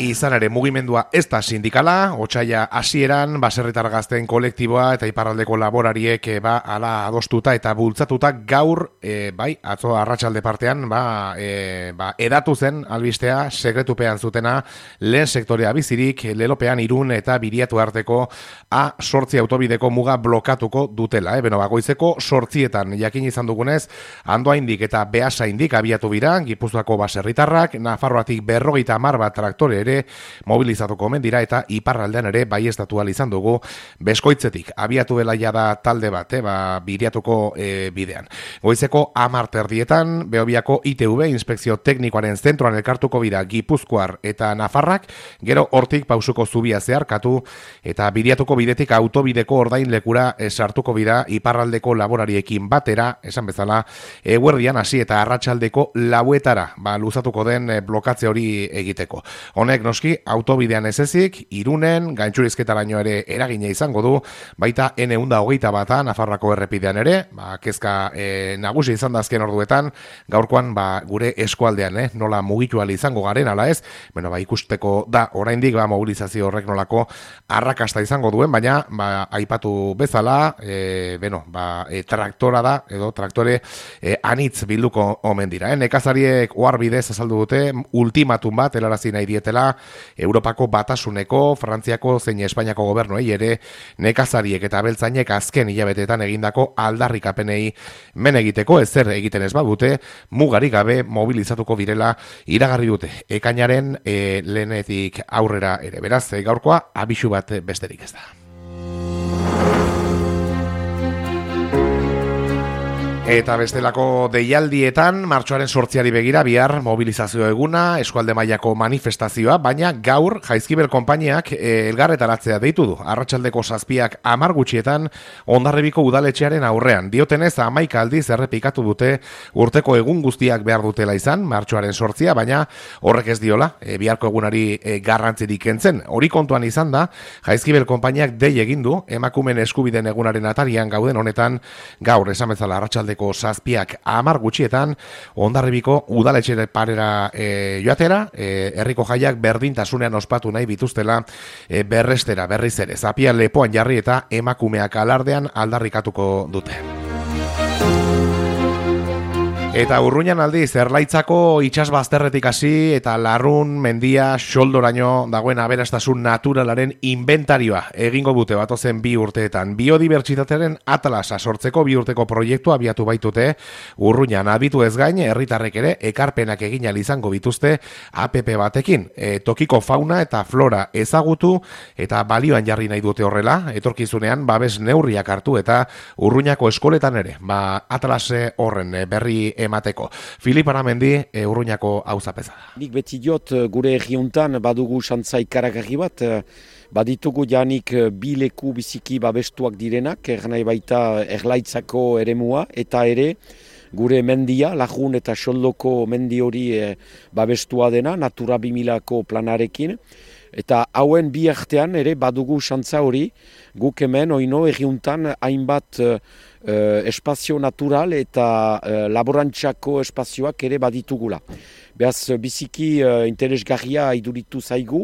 Izan ere mugimendua ez da sindikala, otsaila hasieran baserritar gazteen kolektiboa eta iparraldeko laborariek ala adostuta eta bultzatuta gaur atzo arratsalde partean edatu zen albistea sekretupean zutena lehen sektorea bizirik Lelopean Irun eta Biriatu arteko A8 autobideko muga blokatuko dutela. Goizeko 8etan jakin izan dugunez, Andoaindik eta Beasaindik abiatu bira Gipuzkoako baserritarrak, Nafarroatik 50 bat traktore ere mobilizatuko omen dira eta iparraldean ere baieztatu ahal izan dugu Beskoitzetik abiatu dela jada talde bat, Biriatuko bidean. Goizeko 10 Beobiako ITV inspekzio teknikoaren zentroan elkartuko bira Gipuzkoar eta Nafarrak, gero hortik pausuko zubia zeharkatu eta Biriatuko bidetik autobideko ordain lekura sartuko bira iparraldeko laborariekin batera, esan bezala, eguerdian hasi eta arratsaldeko 4etara luzatuko den blokatze hori egiteko. Honek noski autobidean ez ezik, Irunen, gaintxurizketaraino ere eragina izango du, baita N121 Nafarroako errepidean ere, kezka nagusi izan da azken orduetan, gaurkoan gure eskualdean, nola mugitu ahal izango garen, ala ez, ikusteko da oraindik mobilizazio horrek nolako arrakasta izango duen, baina aipatu bezala, traktora da, edo traktore anitz bilduko omen dira. Nekazariek oharbidez azaldu dute, ultimatum bat helarazi nahi dietela Europako Batasuneko, Frantziako zein Espainiako gobernuei ere nekazariek eta abeltzainek azken hilabetetan egindako aldarrikapenei men egiteko ezer egiten ez badute, mugarik gabe mobilizatuko direla iragarri dute. Ekainaren lehenetik aurrera ere. Beraz, gaurkoa abisu bat besterik ez da. Eta bestelako deialdietan, martxoaren 8ari begira bihar mobilizazio eguna, eskualde mailako manifestazioa, baina gaur Jaizkibel konpainiak elgarretaratzea deitu du. Arratsaldeko 7 gutxietan Hondarribiko udaletxearen aurrean. Diotenez 11 aldiz errepikatu dute urteko egun guztiak behar dutela izan, martxoaren 8, baina horrek ez diola, biharko egunari garrantzirik kentzen. Hori kontuan izan da, Jaizkibel konpainiak dei egin du, emakumeen eskubideen egunaren atarian gauden honetan, gaur esan bezala arratsaldeko 7 gutxietan Hondarribiko udaletxe parera joatera, herriko jaiak berdintasunean ospatu nahi bituztela berrestera berriz ere. Zapia lepoan jarri eta emakumeak alardean aldarrikatuko dute. Eta Urruñan aldiz, Erlaitzako itsasbazterretik hasi eta Larrun mendia xoldoraino dagoen aberastasun naturalaren inventarioa egingo dute batozen 2 urteetan. Biodibertsitatearen atlasa sortzeko 2 urteko proiektua abiatu baitute Urruñan. Abitu ez gain, herritarrek ere ekarpenak egin ahal izango bituzte APP batekin. Tokiko fauna eta flora ezagutu eta balioan jarri nahi dute horrela, etorkizunean babes neurriak hartu eta Urruñako eskoletan ere, atlas horren berri emateko. Filip Aramendi Urruñako auzapeza da. Nik beti diot gure herriuntan badugu xantza ikaragarri bat, baditugu janik 2 leku biziki babestuak direnak, nahi baita Erlaitzako eremua, eta ere gure mendia, Lajun eta Xoldoko mendi hori babestua dena, Natura 2000ko planarekin, eta hauen bi artean ere badugu xantza hori, guk hemen oino herriuntan hainbat espazio natural eta laborantzako espazioak ere baditugula. Beaz, biziki interesgarria iduritu zaigu,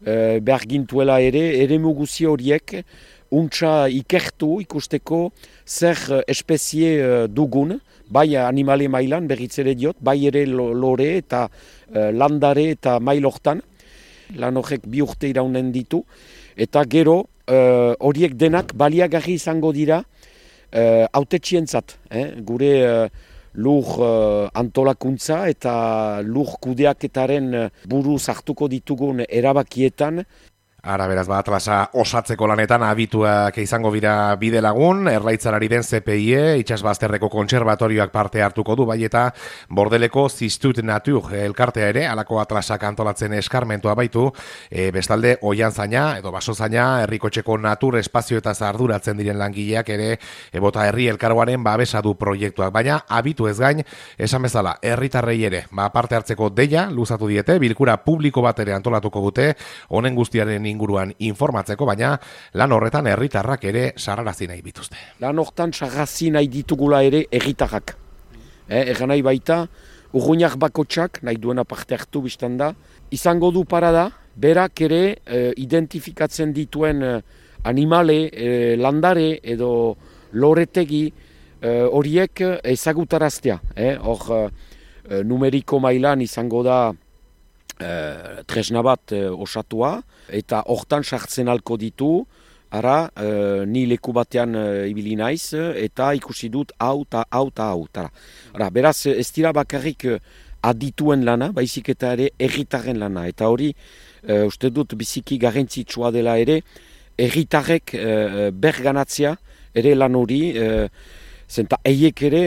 behar gintuela ere eremu horiek untsa ikertu ikusteko zer espezie dugun, bai animale mailan berriz ere diot, bai ere lore eta landare eta mailortan. Lan horrek 2 urte iraunen ditu, eta gero horiek denak baliagarri izango dira hautetxientzat, gure lur antolakuntza eta lur kudeaketaren buruz hartuko ditugun erabakietan. Ara, beraz, atlasa osatzeko lanetan abituak izango dira bide lagun, Erlaitzarari den CPIE, itsasbazterreko kontserbatorioak parte hartuko du, bai eta Bordeleko Zistut Natur elkartea ere, alako atlasak antolatzen eskarmentua baitu, bestalde Oianzaina edo Basozaina, herrikotxeko natur espazio eta arduratzen diren langileak ere, bota herri elkargoaren babesa du proiektuak, baina abitu ez gain, esan bezala, herritarrei ere, parte hartzeko deia, luzatu diete, bilkura publiko bat ere antolatuko dute, honen guztiaren inguruan informatzeko, baina lan horretan herritarrak ere sarrarazi nahi bituzte. Lan horretan sarrarazi nahi ditugula ere herritarrak. Egan nahi baita, urruñak bakotsak, nahi duena parte hartu biztan da, izango du parada berak ere identifikatzen dituen animale, landare edo loretegi horiek ezagutaraztea. Hor, numeriko mailan izango da tresna bat osatua, eta hortan sartzen alko ditu, ara, ni leku batean ibili naiz, eta ikusi dut hau eta hau eta hau. Ara, beraz, ez dira bakarrik adituen lana, baizik eta ere erritarren lana. Eta hori, uste dut biziki garrantzitsua dela ere, erritarrek berganatzea ere lan hori, zenta eiek ere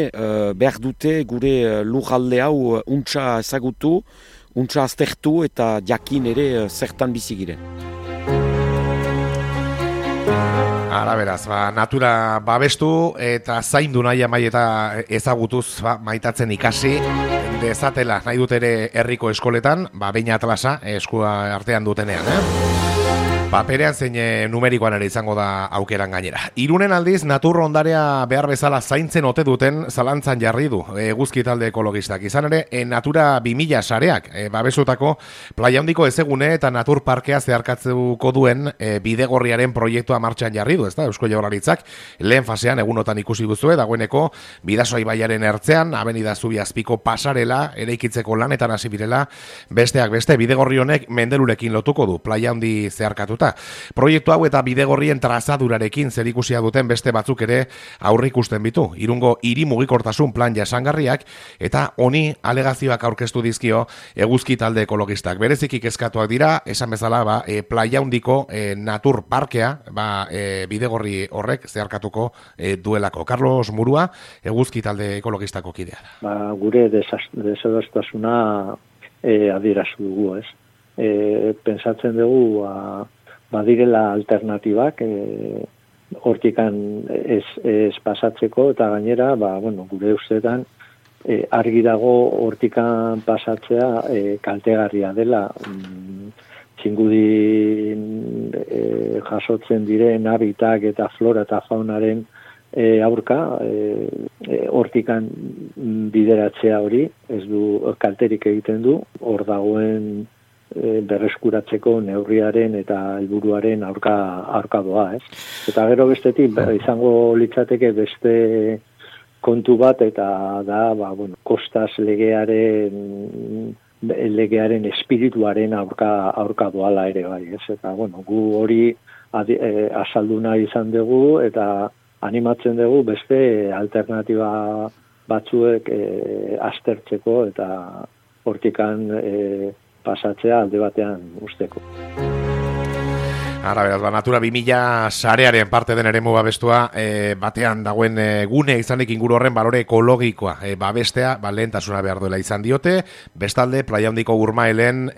behar dute gure lurralde hau untsa ezagutu, untsa aztertu eta jakin ere zertan bizi giren. Ara beraz, natura babestu eta zaindu nahi amai eta ezagutuz maitatzen ikasi dezatela nahi dut ere herriko eskoletan, behin atlasa eskua artean dutenean, Paperean zein numerikoan ere izango da aukeran gainera. Irunen aldiz, natur ondarea behar bezala zaintzen ote duten zalantzan jarri du eguzki talde ekologistak. Izan ere, Natura 2000 sareak, babesutako playa handiko ezegune eta natur parkea zeharkatzeko duen bidegorriaren proiektua martxan jarri du, ezta? Eusko Jaurlaritzak lehen fasean egunotan ikusi duzue, dagoeneko Bidasoa ibaiaren ertzean, Avenida Zubiazpiko pasarela eraikitzeko lanetan hasi birela, besteak beste bidegorri honek mendelurekin lotuko du playa handi zeharkatu. Proiektu hau eta bidegorrien trazadurarekin zerikusia duten beste batzuk ere aurreikusten bitu. Irungo hiri mugikortasun plan jasangarriak eta honi alegazioak aurkeztu dizkio eguzki talde ekologistak. Bereziki kezkatuak dira, esan bezala, playa handiko natur parkea, bidegorri horrek zeharkatuko duelako. Carlos Murua, eguzki talde ekologistako kidea da. Gure desadostasuna adierazu dugu, ez? Pentsatzen dugu badirela alternatibak hortikan ez pasatzeko, eta gainera, gure ustetan argi dago hortikan pasatzea kaltegarria dela. Txingudin jasotzen diren habitak eta flora eta faunaren aurka, hortikan bideratzea hori, ez du kalterik egiten du, hor dagoen berreskuratzeko neurriaren eta helburuaren aurka doa, ez? Eta gero bestetik izango litzateke beste kontu bat, eta da, kostaz legearen espirituaren aurka doala ere bai, ez? Eta, gu hori azaldu nahi izan dugu, eta animatzen dugu beste alternatiba batzuek aztertzeko, eta hortikan pasatzea alde batean usteko. Ara beraz, Natura 2000 sarearen parte den eremu babestua batean dagoen gune izanik inguru horren balore ekologikoa babestea lehentasuna behar duela izan diote. Bestalde, playa handiko Urmaelen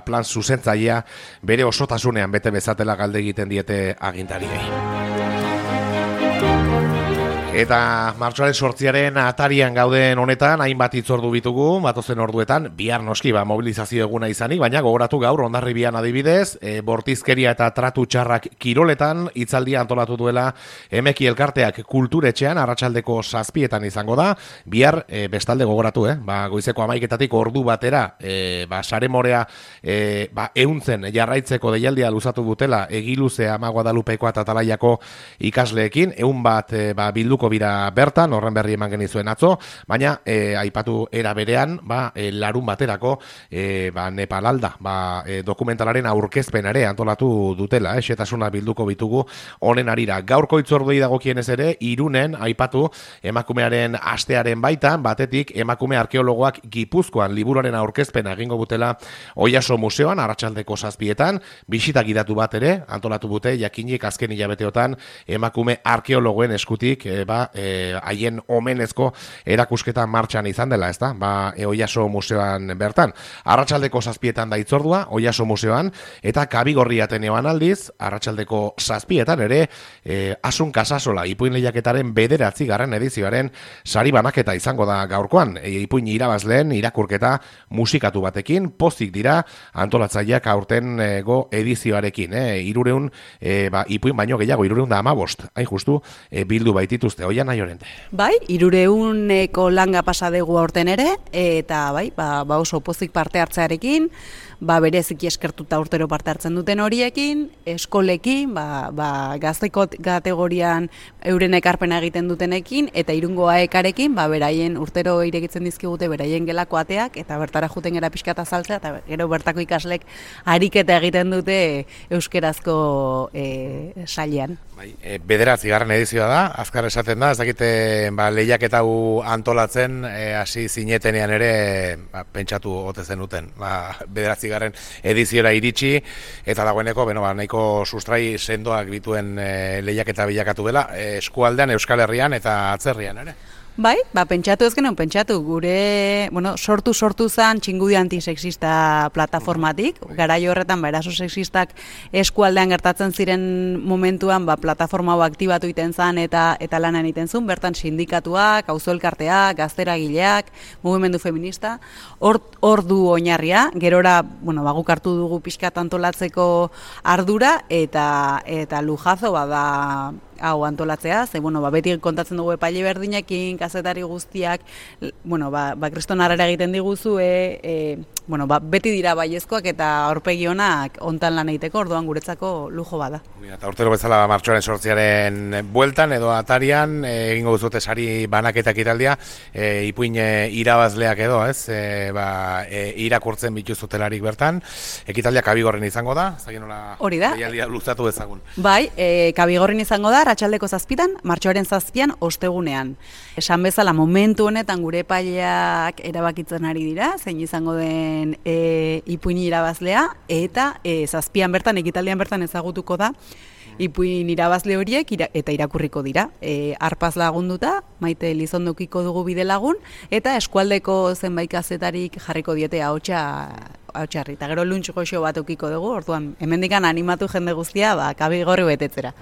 plan zuzentzailea bere osotasunean bete bezatela galde egiten diete agintariei. Eta martxoaren 8 atarian gauden honetan, hainbat hitzordu bitugu, batozen orduetan, bihar noski mobilizazio eguna izanik, baina gogoratu gaur Hondarribian adibidez, bortizkeria eta tratu txarrak kiroletan, hitzaldia antolatu duela Emeki elkarteak kulturetxean, arratsaldeko 7 izango da, bihar bestalde gogoratu, goizeko 11 ordu batera, saremorea ehuntzen jarraitzeko deialdia luzatu dutela, Egiluze, Ama Guadalupeko eta Atalaiako ikasleekin, 100 bilduko bira bertan, horren berri eman genizuen atzo, baina aipatu era berean, larun baterako Nepalalda, dokumentalaren aurkezpen ere antolatu dutela, xetasuna bilduko bitugu honen arira. Gaurko hitzorduei dagokienez ere, Irunen aipatu emakumearen astearen baitan, batetik emakume arkeologoak Gipuzkoan liburuaren aurkezpena egingo butela Oiaso museoan, arratsaldeko 7, bisita gidatu bat ere antolatu bute, jakinik azken hilabeteotan emakume arkeologoen eskutik haien omenezko erakusketa martxan izan dela, ezta? Oiaso museoan bertan. Arratsaldeko 7 da hitzordua, Oiaso museoan, eta Kabigorri Ateneoan aldiz, arratsaldeko 7 ere, Asun Kasasola ipuin lehiaketaren 9. edizioaren sari banaketa izango da gaurkoan. Ipuin irabazleen irakurketa musikatu batekin, pozik dira antolatzaileak aurtengo edizioarekin. 300 ipuin baino gehiago, 315, hain justu, bildu baitituzte. Oian nahi horrente. Bai, 300eko langa pasadegu aurten ere, eta oso pozik parte hartzearekin, bereziki eskertuta urtero parte hartzen duten horiekin, eskolekin, gazteko kategorian euren ekarpena egiten dutenekin, eta Irungo AEKarekin, beraien urtero irekitzen dizkigute beraien gelako ateak, eta bertara juten gara pixka eta saltzea, eta gero bertako ikaslek ariketa egiten dute euskerazko sailean. Bederatzigarren edizioa da, azkar esaten da, ez dakite lehiaketa hau antolatzen, hasi zinetenean ere pentsatu ote zenuten. Bederatzigarren ediziora iritsi, eta dagoeneko, nahiko sustrai sendoak dituen lehiaketa bilakatu dela, eskualdean, Euskal Herrian eta atzerrian ere. Bai, pentsatu ez genuen, gure, sortu zen Txingudi antisexista plataformatik, garai horretan, eraso sexistak eskualdean gertatzen ziren momentuan, plataforma hau aktibatu iten zen eta lanan iten zuen, bertan sindikatuak, auzoelkarteak, gazteragileak, mugimendu feminista, hor du oinarria, gerora, guk hartu dugu pixkat antolatzeko ardura, eta lujazo bada hau antolatzea, beti kontatzen dugu epaile berdinekin, kazetari guztiak, kriston harrera egiten diguzue, beti dira baiezkoak eta aurpegi onak hontan lan egiteko, orduan guretzako lujo bada. Eta urtero bezala martxoaren 8 bueltan edo atarian, egingo duzute sari banaketak italdia, ipuin irabazleak edo, ez? Irakurtzen bituzutelarik bertan, ekitaldia Kabigorren izango da, hori da. Deialdia luzatu dezagun. Bai, Kabigorren izango da, arratsaldeko 7, martxoaren 7 ostegunean. Esan bezala, momentu honetan gure epaileak erabakitzen ari dira, zein izango den ipuin irabazlea, eta 7 bertan, ekitaldian bertan ezagutuko da, ipuin irabazle horiek eta irakurriko dira. Arpaz lagunduta, Maite Elizondokiko dugu bide lagun, eta eskualdeko zenbait kazetarik jarriko diete ahotsarri. Eta gero luntx goxo bat ukiko dugu, orduan, hemendikan animatu jende guztia, Kabigorri betetzera.